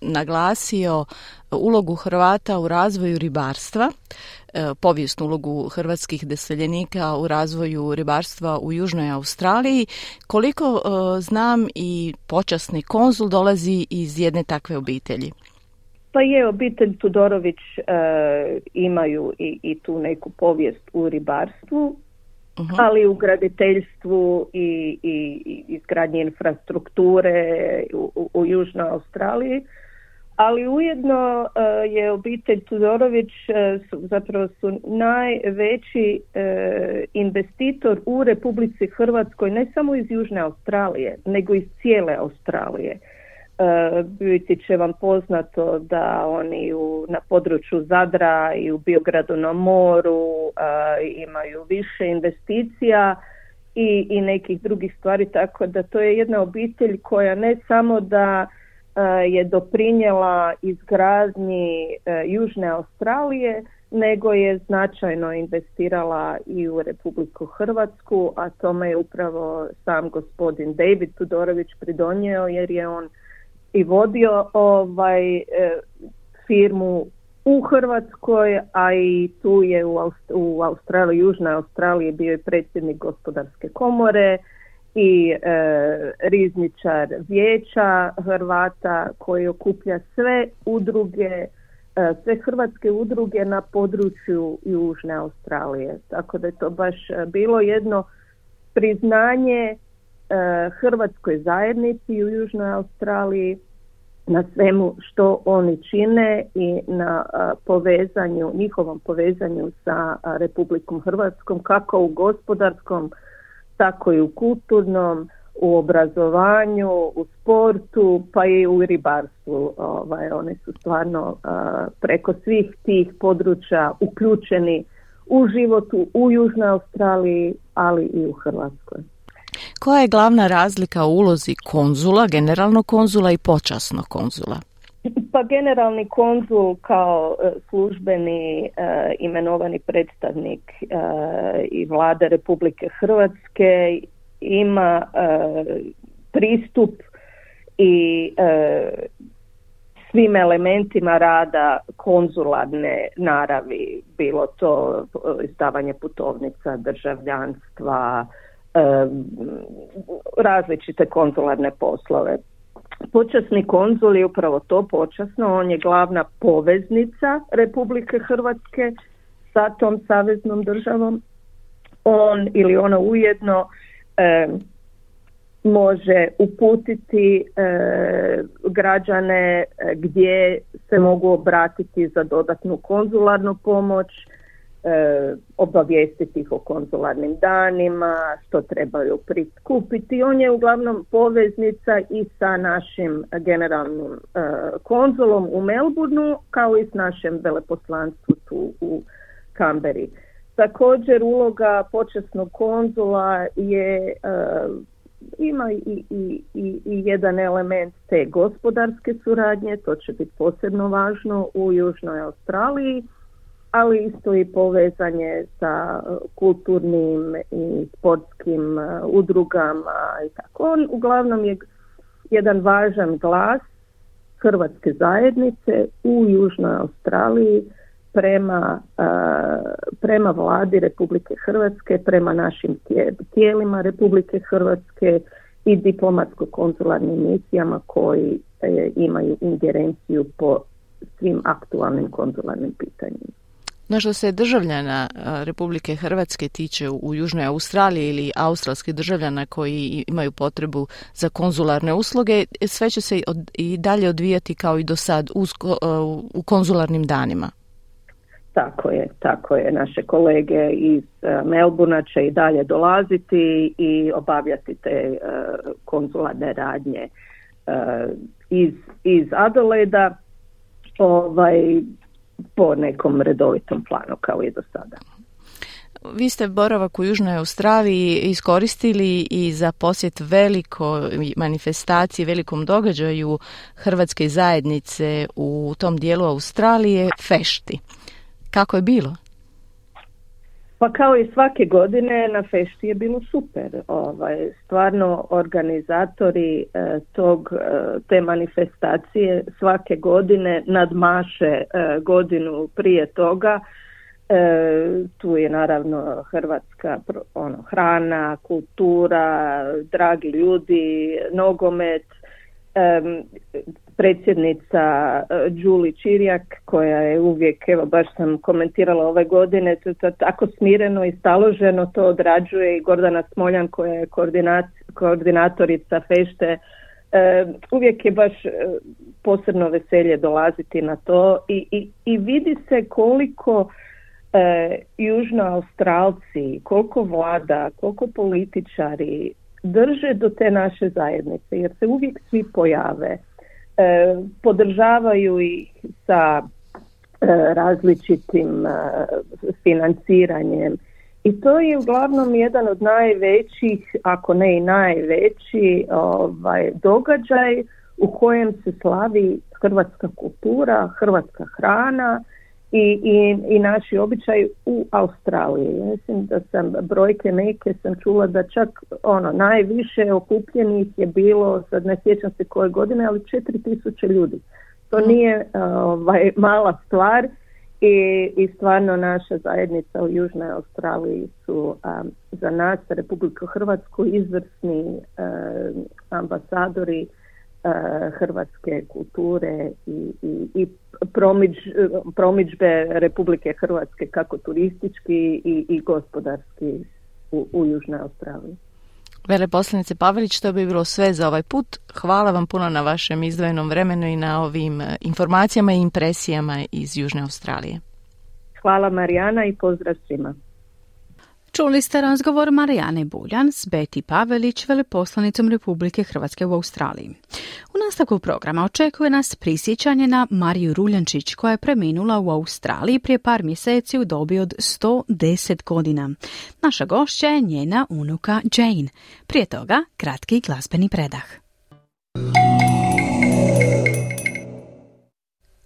naglasio ulogu Hrvata u razvoju ribarstva, uh, povijesnu ulogu hrvatskih doseljenika u razvoju ribarstva u Južnoj Australiji. Koliko uh, znam, i počasni konzul dolazi iz jedne takve obitelji. Pa je, obitelj Tudorović e, imaju i, i tu neku povijest u ribarstvu, uh-huh. ali u graditeljstvu i, i, i izgradnji infrastrukture u, u, u Južnoj Australiji. Ali ujedno e, je obitelj Tudorović e, su, zapravo su najveći e, investitor u Republici Hrvatskoj, ne samo iz Južne Australije, nego iz cijele Australije. Uh, biti će vam poznato da oni u, na području Zadra i u Biogradu na moru uh, imaju više investicija i, i nekih drugih stvari, tako da to je jedna obitelj koja ne samo da uh, je doprinijela izgradnji uh, Južne Australije, nego je značajno investirala i u Republiku Hrvatsku, a tome je upravo sam gospodin David Tudorović pridonio, jer je on i vodio ovaj e, firmu u Hrvatskoj, a i tu je u, Aust- u Australiji, Južnoj Australiji bio i predsjednik gospodarske komore i e, rizničar vijeća Hrvata koji okuplja sve udruge, e, sve hrvatske udruge na području Južne Australije. Tako da je to baš bilo jedno priznanje hrvatskoj zajednici u Južnoj Australiji na svemu što oni čine i na povezanju, njihovom povezanju sa Republikom Hrvatskom, kako u gospodarskom, tako i u kulturnom, u obrazovanju, u sportu, pa i u ribarstvu. Ovaj, oni su stvarno uh, preko svih tih područja uključeni u životu u Južnoj Australiji, ali i u Hrvatskoj. Koja je glavna razlika u ulozi konzula, generalnog konzula i počasnog konzula? Pa generalni konzul kao službeni uh, imenovani predstavnik uh, i vlade Republike Hrvatske ima uh, pristup i uh, svim elementima rada konzularne naravi, bilo to izdavanje putovnica, državljanstva, um, različite konzularne poslove. Počasni konzul je upravo to, počasno, on je glavna poveznica Republike Hrvatske sa tom saveznom državom. On ili ona ujedno e, može uputiti e, građane gdje se mogu obratiti za dodatnu konzularnu pomoć, E, obavijestiti ih o konzularnim danima, što trebaju prikupiti. On je uglavnom poveznica i sa našim generalnim e, konzulom u Melbourneu, kao i s našem veleposlanstvu tu u Kamberi. Također uloga počasnog konzula je e, ima i, i, i, i jedan element te gospodarske suradnje, to će biti posebno važno u Južnoj Australiji, ali isto i povezanje sa kulturnim i sportskim udrugama i tako. On uglavnom je jedan važan glas hrvatske zajednice u Južnoj Australiji prema, prema vladi Republike Hrvatske, prema našim tijelima Republike Hrvatske i diplomatsko-konzularnim misijama koji imaju ingerenciju po svim aktualnim konzularnim pitanjima. No što se državljana Republike Hrvatske tiče u Južnoj Australiji ili australskih državljana koji imaju potrebu za konzularne usluge, sve će se i dalje odvijati kao i do sad u konzularnim danima. Tako je, tako je. Naše kolege iz Melbournea će i dalje dolaziti i obavljati te konzularne radnje iz, iz Adelaida, ovaj, po nekom redovitom planu kao i do sada. Vi ste boravak u Južnoj Australiji iskoristili i za posjet velikoj manifestaciji, velikom događaju hrvatske zajednice u tom dijelu Australije, Fešti. Kako je bilo? Pa kao i svake godine na Fešti je bilo super. Ovaj, stvarno organizatori eh, tog, eh, te manifestacije svake godine nadmaše eh, godinu prije toga. Eh, tu je naravno hrvatska ono, hrana, kultura, dragi ljudi, nogomet. Um, predsjednica uh, Đuli Čirjak, koja je uvijek, evo baš sam komentirala ove godine, to, to, tako smireno i staloženo to odrađuje, i Gordana Smoljan, koja je koordinat, koordinatorica Fešte, uh, uvijek je baš uh, posebno veselje dolaziti na to i, i, i vidi se koliko uh, Južnoaustralci, koliko vlada, koliko političari drže do te naše zajednice, jer se uvijek svi pojave, e, podržavaju ih sa e, različitim e, financiranjem, i to je uglavnom jedan od najvećih, ako ne i najveći ovaj, događaj u kojem se slavi hrvatska kultura, hrvatska hrana I, i, i naši običaj u Australiji. Mislim da sam brojke neke sam čula da čak ono najviše okupljenih je bilo, sad ne sjećam se koje godine, ali četiri tisuće ljudi. To nije ovaj, mala stvar i, i stvarno naša zajednica u Južnoj Australiji su um, za nas, Republiku Hrvatsku, izvrsni um, ambasadori hrvatske kulture i, i, i promič, promidžbe Republike Hrvatske kako turistički i, i gospodarski u, u Južnoj Australiji. Veleposlanice Pavelić, to bi bilo sve za ovaj put. Hvala vam puno na vašem izdvojenom vremenu i na ovim informacijama i impresijama iz Južne Australije. Hvala Marijana i pozdrav svima. Čuli ste razgovor Marijane Buljan s Beti Pavelić, veleposlanicom Republike Hrvatske u Australiji. U nastavku programa očekuje nas prisjećanje na Mariju Ruljančić, koja je preminula u Australiji prije par mjeseci u dobi od sto deset godina. Naša gošća je njena unuka Jane. Prije toga, kratki glazbeni predah.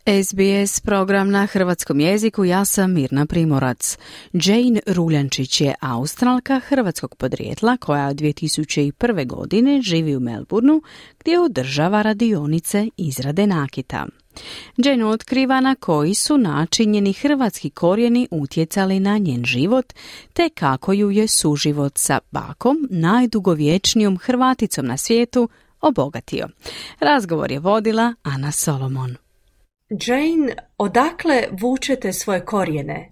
S B S program na hrvatskom jeziku, ja sam Mirna Primorac. Jane Ruljančić je Australka hrvatskog podrijetla koja od dvije tisuće prve. godine živi u Melbourneu gdje održava radionice izrade nakita. Jane otkriva na koji su način njeni hrvatski korijeni utjecali na njen život, te kako ju je suživot sa bakom, najdugovječnijom Hrvaticom na svijetu, obogatio. Razgovor je vodila Ana Solomon. Jane, odakle vučete svoje korijene?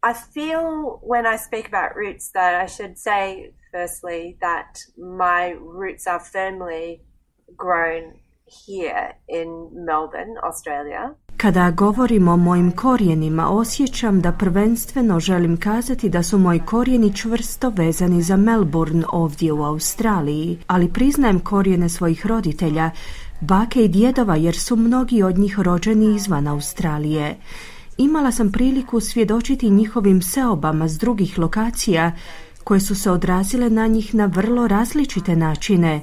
I feel when I speak about roots that I should say firstly that my roots are firmly grown here in Melbourne, Australia. Kada govorim o mojim korijenima, osjećam da prvenstveno želim kazati da su moji korijeni čvrsto vezani za Melbourne ovdje u Australiji, ali priznajem korijene svojih roditelja, bake i djedova, jer su mnogi od njih rođeni izvan Australije. Imala sam priliku svjedočiti njihovim seobama s drugih lokacija koje su se odrazile na njih na vrlo različite načine.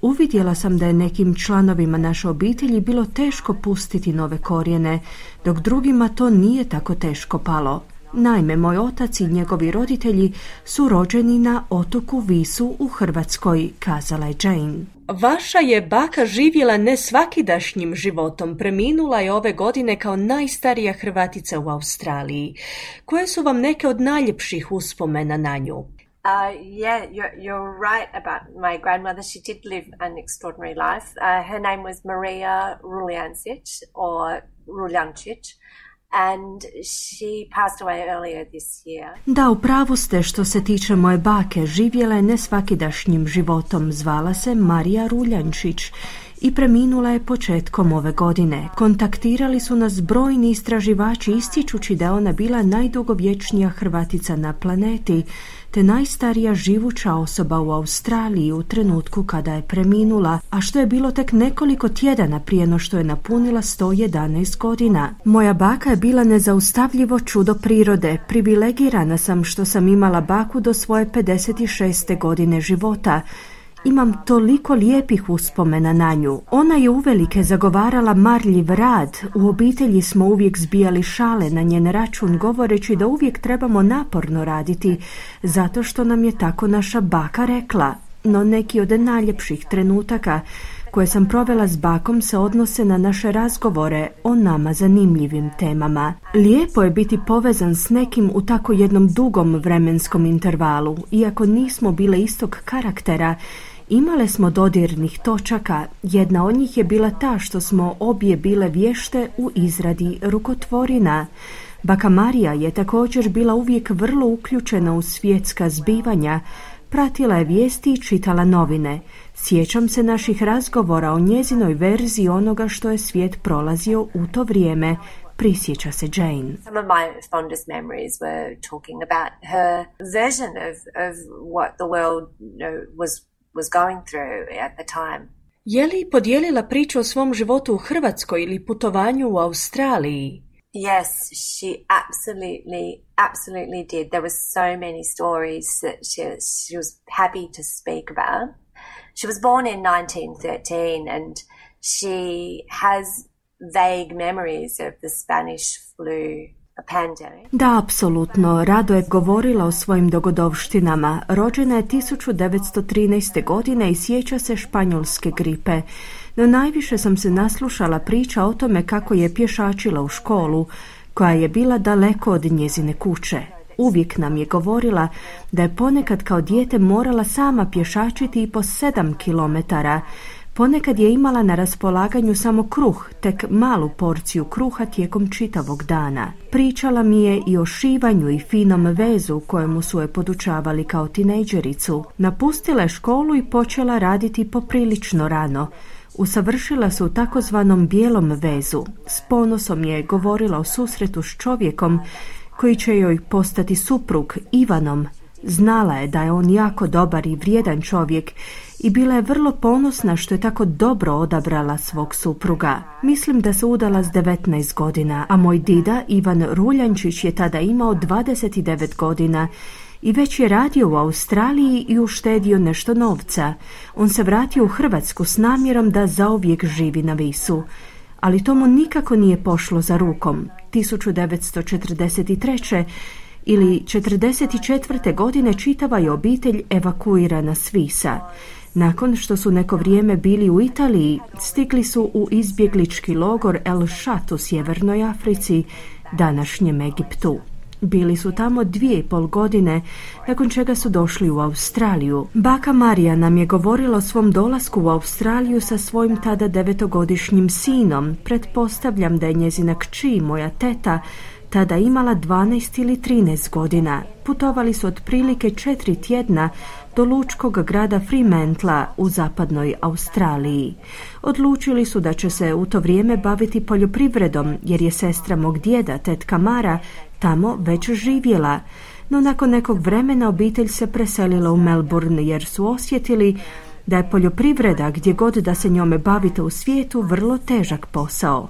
Uvidjela sam da je nekim članovima naše obitelji bilo teško pustiti nove korijene, dok drugima to nije tako teško palo. Naime, moj otac i njegovi roditelji su rođeni na otoku Visu u Hrvatskoj, kazala je Jane. Vaša je baka živjela nesvakidašnjim životom, preminula je ove godine kao najstarija Hrvatica u Australiji. Koje su vam neke od najljepših uspomena na nju? Uh, yeah, you're, you're right about my grandmother. She did live an extraordinary life. Uh, her name was Maria Ruljancic, or Ruljancic, and she passed away earlier this year. Da, u pravu ste što se tiče moje bake. Živjela je nesvakidašnjim životom. Zvala se Marija Ruljančić i preminula je početkom ove godine. Kontaktirali su nas brojni istraživači ističući da je ona bila najdugovječnija Hrvatica na planeti, te najstarija živuća osoba u Australiji u trenutku kada je preminula, a što je bilo tek nekoliko tjedana prije no što je napunila sto jedanaest godina. Moja baka je bila nezaustavljivo čudo prirode. Privilegirana sam što sam imala baku do svoje pedeset šeste godine života. Imam toliko lijepih uspomena na nju. Ona je uvelike zagovarala marljiv rad. U obitelji smo uvijek zbijali šale na njen račun, govoreći da uvijek trebamo naporno raditi, zato što nam je tako naša baka rekla. No neki od najljepših trenutaka koje sam provela s bakom se odnose na naše razgovore o nama zanimljivim temama. Lijepo je biti povezan s nekim u tako jednom dugom vremenskom intervalu. Iako nismo bile istog karaktera, imale smo dodirnih točaka. Jedna od njih je bila ta što smo obje bile vješte u izradi rukotvorina. Baka Marija je također bila uvijek vrlo uključena u svjetska zbivanja, pratila je vijesti i čitala novine. Sjećam se naših razgovora o njezinoj verziji onoga što je svijet prolazio u to vrijeme, prisjeća se Jane. Some of my fondest memories were talking about her version of, of what the world, you know, was, was going through at the time. Je li podijelila priču o svom životu u Hrvatskoj ili putovanju u Australiji? Yes, she absolutely, absolutely did. There were so many stories that she, she was happy to speak about. She was born in nineteen thirteen and she has vague memories of the Spanish flu pandemic. Da, apsolutno. Rado je govorila o svojim dogodovštinama. Rođena je tisuću devetsto trinaeste. godine i sjeća se španjolske gripe. No najviše sam se naslušala priča o tome kako je pješačila u školu, koja je bila daleko od njezine kuće. Uvijek nam je govorila da je ponekad kao dijete morala sama pješačiti i po sedam kilometara. Ponekad je imala na raspolaganju samo kruh, tek malu porciju kruha tijekom čitavog dana. Pričala mi je i o šivanju i finom vezu kojemu su je podučavali kao tinejdžericu. Napustila je školu i počela raditi poprilično rano. Usavršila se u takozvanom bijelom vezu. S ponosom je govorila o susretu s čovjekom koji će joj postati suprug, Ivanom, Znala je da je on jako dobar i vrijedan čovjek i bila je vrlo ponosna što je tako dobro odabrala svog supruga. Mislim da se udala s devetnaest godina, a moj dida Ivan Ruljančić je tada imao dvadeset devet godina i već je radio u Australiji i uštedio nešto novca. On se vratio u Hrvatsku s namjerom da zauvijek živi na Visu. Ali to mu nikako nije pošlo za rukom. tisuću devetsto četrdeset treće ili četrdeset četvrte godine čitava je obitelj evakuirana s Visa. Nakon što su neko vrijeme bili u Italiji, stigli su u izbjeglički logor El Shat u sjevernoj Africi, današnjem Egiptu. Bili su tamo dvije i pol godine, nakon čega su došli u Australiju. Baka Marija nam je govorila o svom dolasku u Australiju sa svojim tada devetogodišnjim sinom. Pretpostavljam da je njezina kći, moja teta, tada imala dvanaest ili trinaest godina. Putovali su otprilike četiri tjedna do lučkog grada Fremantla u zapadnoj Australiji. Odlučili su da će se u to vrijeme baviti poljoprivredom, jer je sestra mog djeda, tetka Mara, tamo već živjela. No nakon nekog vremena obitelj se preselila u Melbourne jer su osjetili da je poljoprivreda, gdje god da se njome bavite u svijetu, vrlo težak posao.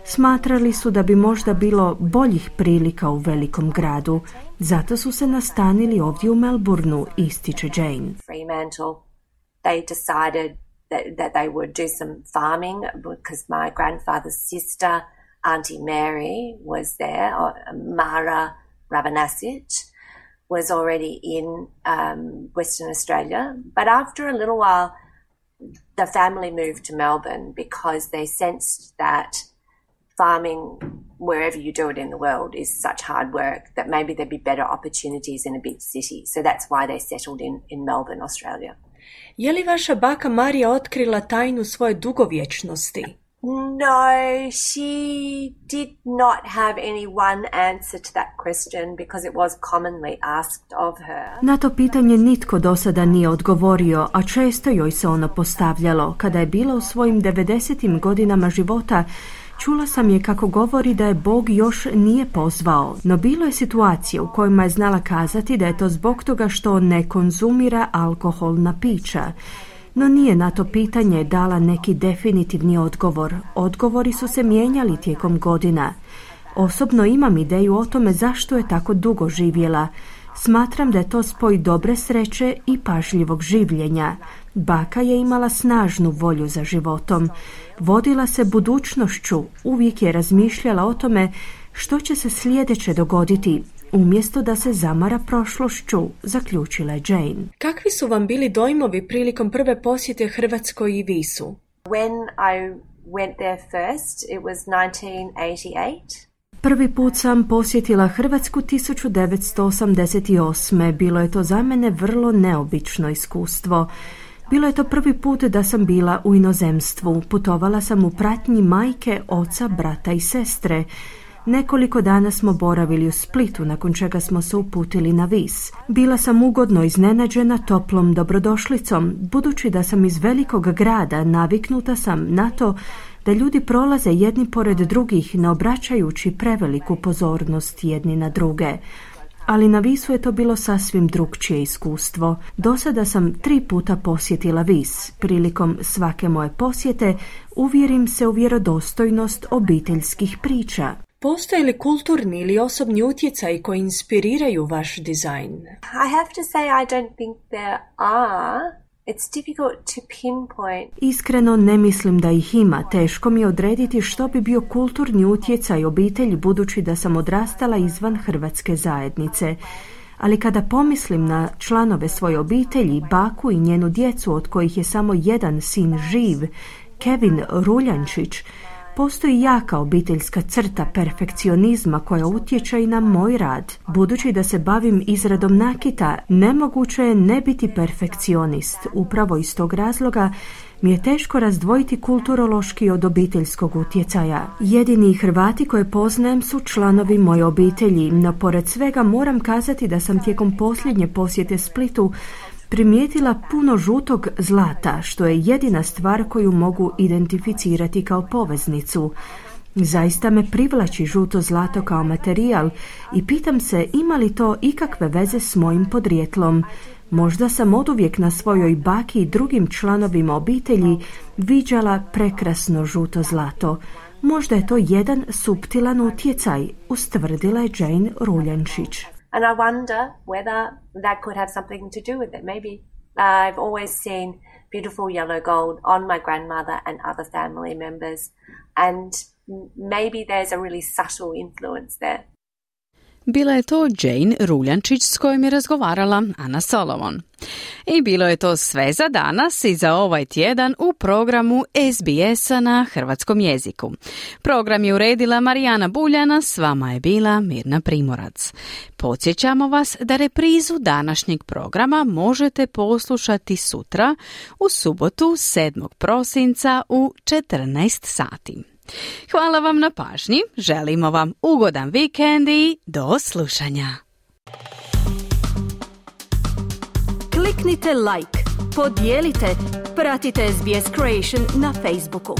Smatrali su da bi možda bilo boljih prilika u velikom gradu, zato su se nastanili ovdje u Melbourneu, ističe Jane. Fremantle, they decided that, that they would do some farming because my grandfather's sister, Auntie Mary, was there. Mara Rabanasic was already in um, Western Australia. But after a little while, the family moved to Melbourne because they sensed that farming, wherever you do it in the world, is such hard work that maybe there'd be better opportunities in a big city. So that's why they settled in, in Melbourne, Australia. Je li vaša baka Marija otkrila tajnu svoje dugovječnosti? No, she did not have any one answer to that question because it was commonly asked of her. Na to pitanje nitko do sada nije odgovorio, a često joj se ono postavljalo. Kada je bila u svojim devedesetim godinama života, čula sam je kako govori da je Bog još nije pozvao, no bilo je situacije u kojima je znala kazati da je to zbog toga što ne konzumira alkoholna pića. No nije na to pitanje dala neki definitivni odgovor. Odgovori su se mijenjali tijekom godina. Osobno imam ideju o tome zašto je tako dugo živjela. Smatram da je to spoj dobre sreće i pažljivog življenja. Baka je imala snažnu volju za životom. Vodila se budućnošću, uvijek je razmišljala o tome što će se sljedeće dogoditi, umjesto da se zamara prošlošću, zaključila je Jane. Kakvi su vam bili dojmovi prilikom prve posjete Hrvatskoj i Visu? When I went there first, it was nineteen eighty-eight. Prvi put sam posjetila Hrvatsku tisuću devetsto osamdeset osme. Bilo je to za mene vrlo neobično iskustvo. Bilo je to prvi put da sam bila u inozemstvu. Putovala sam u pratnji majke, oca, brata i sestre. Nekoliko dana smo boravili u Splitu, nakon čega smo se uputili na Vis. Bila sam ugodno iznenađena toplom dobrodošlicom. Budući da sam iz velikog grada, naviknuta sam na to da ljudi prolaze jedni pored drugih, ne obraćajući preveliku pozornost jedni na druge. Ali na Visu je to bilo sasvim drukčije iskustvo. Do sada sam tri puta posjetila Vis. Prilikom svake moje posjete uvjerim se u vjerodostojnost obiteljskih priča. Postoje li kulturni ili osobni utjecaji koji inspiriraju vaš dizajn? I have to say I don't think there are. It's difficult to pinpoint. Iskreno ne mislim da ih ima. Teško mi je odrediti što bi bio kulturni utjecaj obitelji, budući da sam odrastala izvan hrvatske zajednice. Ali kada pomislim na članove svoje obitelji, baku i njenu djecu, od kojih je samo jedan sin živ, Kevin Ruljančić, postoji jaka obiteljska crta perfekcionizma koja utječe i na moj rad. Budući da se bavim izradom nakita, nemoguće je ne biti perfekcionist. Upravo iz tog razloga mi je teško razdvojiti kulturološki od obiteljskog utjecaja. Jedini Hrvati koje poznajem su članovi moje obitelji, no pored svega moram kazati da sam tijekom posljednje posjete Splitu primijetila puno žutog zlata, što je jedina stvar koju mogu identificirati kao poveznicu. Zaista me privlači žuto zlato kao materijal i pitam se ima li to ikakve veze s mojim podrijetlom. Možda sam oduvijek na svojoj baki i drugim članovima obitelji viđala prekrasno žuto zlato. Možda je to jedan suptilan utjecaj, ustvrdila je Jane Ruljančić. And I wonder whether that could have something to do with it. Maybe uh, I've always seen beautiful yellow gold on my grandmother and other family members, and maybe there's a really subtle influence there. Bila je to Jane Ruljančić s kojom je razgovarala Ana Solomon. I bilo je to sve za danas i za ovaj tjedan u programu S B S-a na hrvatskom jeziku. Program je uredila Marijana Buljana, s vama je bila Mirna Primorac. Podsjećamo vas da reprizu današnjeg programa možete poslušati sutra u subotu sedmog prosinca u četrnaest sati. Hvala vam na pažnji, želimo vam ugodan vikend i do slušanja. Kliknite like, podijelite, pratite S B S Creation na Facebooku.